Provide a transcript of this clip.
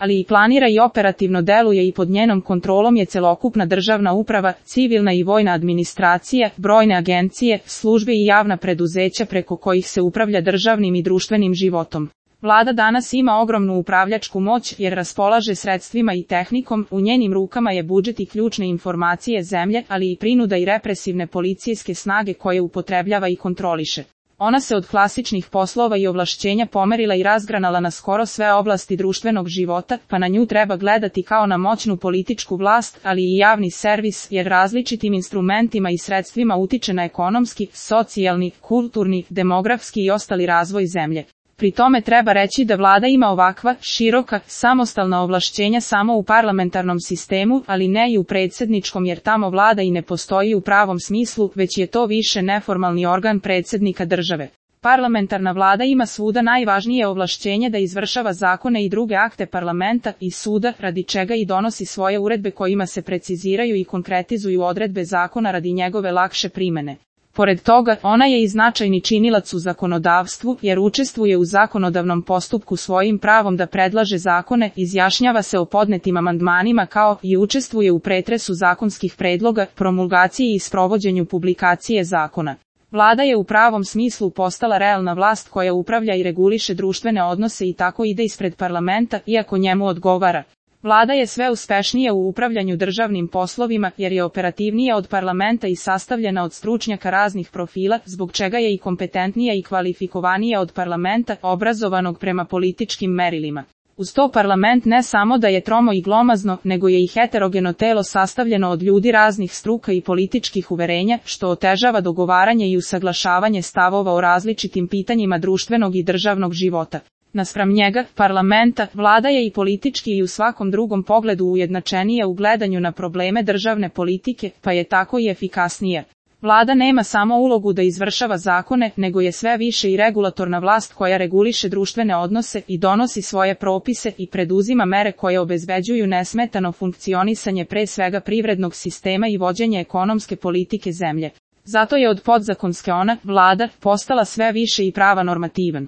ali i planira i operativno deluje i pod njenom kontrolom je celokupna državna uprava, civilna i vojna administracija, brojne agencije, službe i javna preduzeća preko kojih se upravlja državnim i društvenim životom. Vlada danas ima ogromnu upravljačku moć jer raspolaže sredstvima i tehnikom, u njenim rukama je budžet i ključne informacije zemlje, ali i prinuda i represivne policijske snage koje upotrebljava i kontroliše. Ona se od klasičnih poslova i ovlašćenja pomerila i razgranala na skoro sve oblasti društvenog života, pa na nju treba gledati kao na moćnu političku vlast, ali i javni servis, jer različitim instrumentima i sredstvima utiče na ekonomski, socijalni, kulturni, demografski i ostali razvoj zemlje. Pri tome treba reći da vlada ima ovakva, široka, samostalna ovlašćenja samo u parlamentarnom sistemu, ali ne i u predsjedničkom jer tamo vlada i ne postoji u pravom smislu, već je to više neformalni organ predsjednika države. Parlamentarna vlada ima svuda najvažnije ovlašćenje da izvršava zakone i druge akte parlamenta i suda, radi čega i donosi svoje uredbe kojima se preciziraju i konkretizuju odredbe zakona radi njegove lakše primene. Pored toga, ona je i značajni činilac u zakonodavstvu, jer učestvuje u zakonodavnom postupku svojim pravom da predlaže zakone, izjašnjava se o podnetim amandmanima kao i učestvuje u pretresu zakonskih predloga, promulgaciji i sprovođenju publikacije zakona. Vlada je u pravom smislu postala realna vlast koja upravlja i reguliše društvene odnose i tako ide ispred parlamenta, iako njemu odgovara. Vlada je sve uspešnija u upravljanju državnim poslovima jer je operativnija od parlamenta i sastavljena od stručnjaka raznih profila, zbog čega je i kompetentnija i kvalifikovanija od parlamenta, obrazovanog prema političkim merilima. Uz to parlament ne samo da je tromo i glomazno, nego je i heterogeno telo sastavljeno od ljudi raznih struka i političkih uverenja, što otežava dogovaranje i usaglašavanje stavova o različitim pitanjima društvenog i državnog života. Naspram njega, parlamenta, vlada je i politički i u svakom drugom pogledu ujednačenija u gledanju na probleme državne politike, pa je tako i efikasnija. Vlada nema samo ulogu da izvršava zakone, nego je sve više i regulatorna vlast koja reguliše društvene odnose i donosi svoje propise i preduzima mere koje obezbeđuju nesmetano funkcionisanje pre svega privrednog sistema i vođenje ekonomske politike zemlje. Zato je od podzakonske ona, vlada, postala sve više i prava normativan.